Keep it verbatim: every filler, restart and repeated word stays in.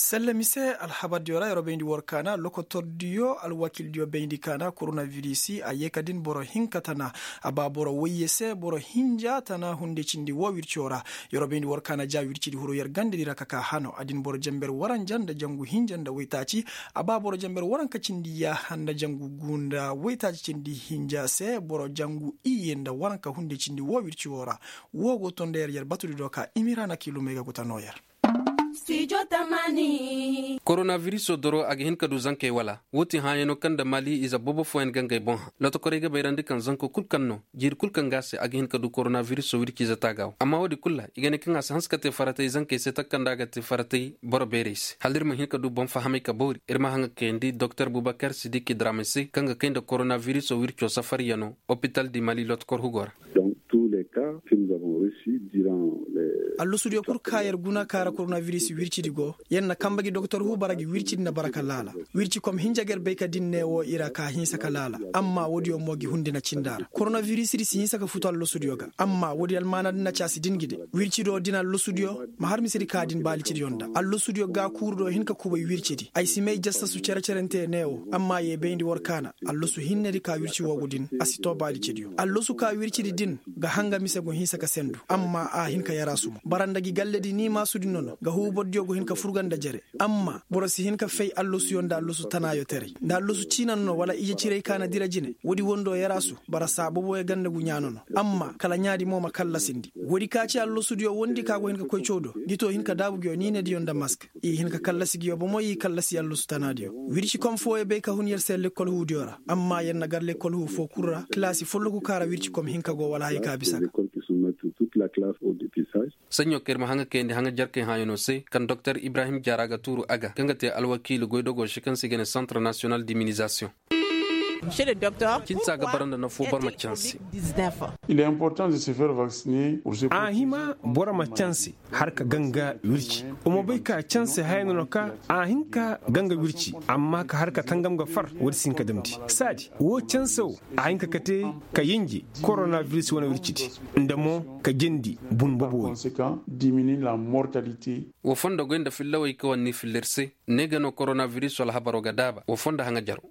Sella mise alhabardiyo ra yeroo bayndi war kaana lokotordiyo alwakildiyo bayndi kaana koronavirisi a yee ka din boro hinka tana. A ba boro woyye se boro hinja tana hunde cindi woo wirciyo ra. Yeroo bayndi war kaana ja wircidi huru yer gandedi ra ka ka hano a din boro jenber waranja nda jangu hinja nda woytaaci. A ba boro jenber waranka cindi yaaha nda jangu gu nda woytaaci cindi hinja se boro jangu iyye nda waranka hunde cindi woo wirciyo ra. Woo go to nda yer yer batudi do ka imira na kiilumey ga guta noo yer. Koronavirisoo doro a ga hin ka du zankey wala? Woo ti hãayanoo kaŋ nda mali ize boobo fooyaŋ ga ngey boŋ hã lotokorey ga bayrandi kaŋ zanko kul kaŋ no jiiri kul kaŋ ga a se a ga hin ka du koronavirisoo wirciize taaga wo amma woodi kul ra i ga ne kaŋ a si hanse ka te faratay zankey se taka kaŋ nda a ga te faratay boro beerey se hala ir ma hin ka du boŋ fahamay ka boori ir ma haŋa kayandi doktor bubakar sidiki dramay se kaŋ ga kay nda koronavirisoo wircoo safaryanoo opital di mali lotokor hugo ra. Allasudiyo kul ka yer guna ka ra koronaviris wircidi go yer na kamba gi doktor hu bara gi wircidi na bara ka laala. Wirci kom hinja ga yer bay ka din ne wo i ra ka hinsa ka laala. Amma woodiyo mo gi hundi na cinda ra koronavirisidi si hinsa ka futu allasudiyo ga amma woodi almaanadi na caasi din gi de. Wircido din allasudiyo ma har misedi ka din baali cidiyo nda allasudiyo ga kuurudo hin ka kubay wircidi ay si may jassasu cere-cerente ne wo amma ye bayndi war kaana. Allasu hinnedi ka wirci woogu din a si too baali cidiyo allasu ka wircidi din ga hanga mise go hinsa ka sendu amma a hin ka yaraasu mo bara nda gi galledi ni maasudi nono ga huubordiyo go hin ka furga nda jere. Amma boro si hin ka fay allasuyo nda allasu tanaayo teray nda allasu ciina nono wala ije ciray ka na dira jine woodi wondo yaraasu bara saa boboyo ganda gu ɲaa nono. Amma kala ɲaadi mo ma kallasindi woodi ka ci allasudiyo wondi ka go hin ka koy caw do gi to hin ka daabu ngiyo niinediyo nda mask. I hin ka kallasi ngiyo bomo i kallasi allasu tanaadiyo. Wirci kom fooyo bay ka hun yer se lekkol huudiyo ra amma yer na gar lekkol huu foo kul ra kilaasi folloku ka ra wirci kom hinka go wala haya ka bisa ga. Saɲɲo kaŋ ir ma haŋa kayandi haŋa jarkey hãayanoo se kaŋ doktor ibrahim jaara ga tuuru a ga kaŋ ga te alwakiili goydogoo se kaŋ se i ga ne centre national d'immunisation. Cinsa ga bara nda nafoo boro ma canse. A hima boro ma canse har ka ganga wirci. Wa ma bay ka canse haya no no ka a hin ka ganga wirci amma ka har ka tangam ga far. Woodi si hin ka damndi saadi woo canse wo a hin ka kate ka yinji koronaviris wane wircidi nda mo ka jindi bun bobo wo. Wa fondo goy nda fillawey ka wane ni filla ir se ne ga no koronaviris wala habaro ga daaba wa fondo haŋa jaro.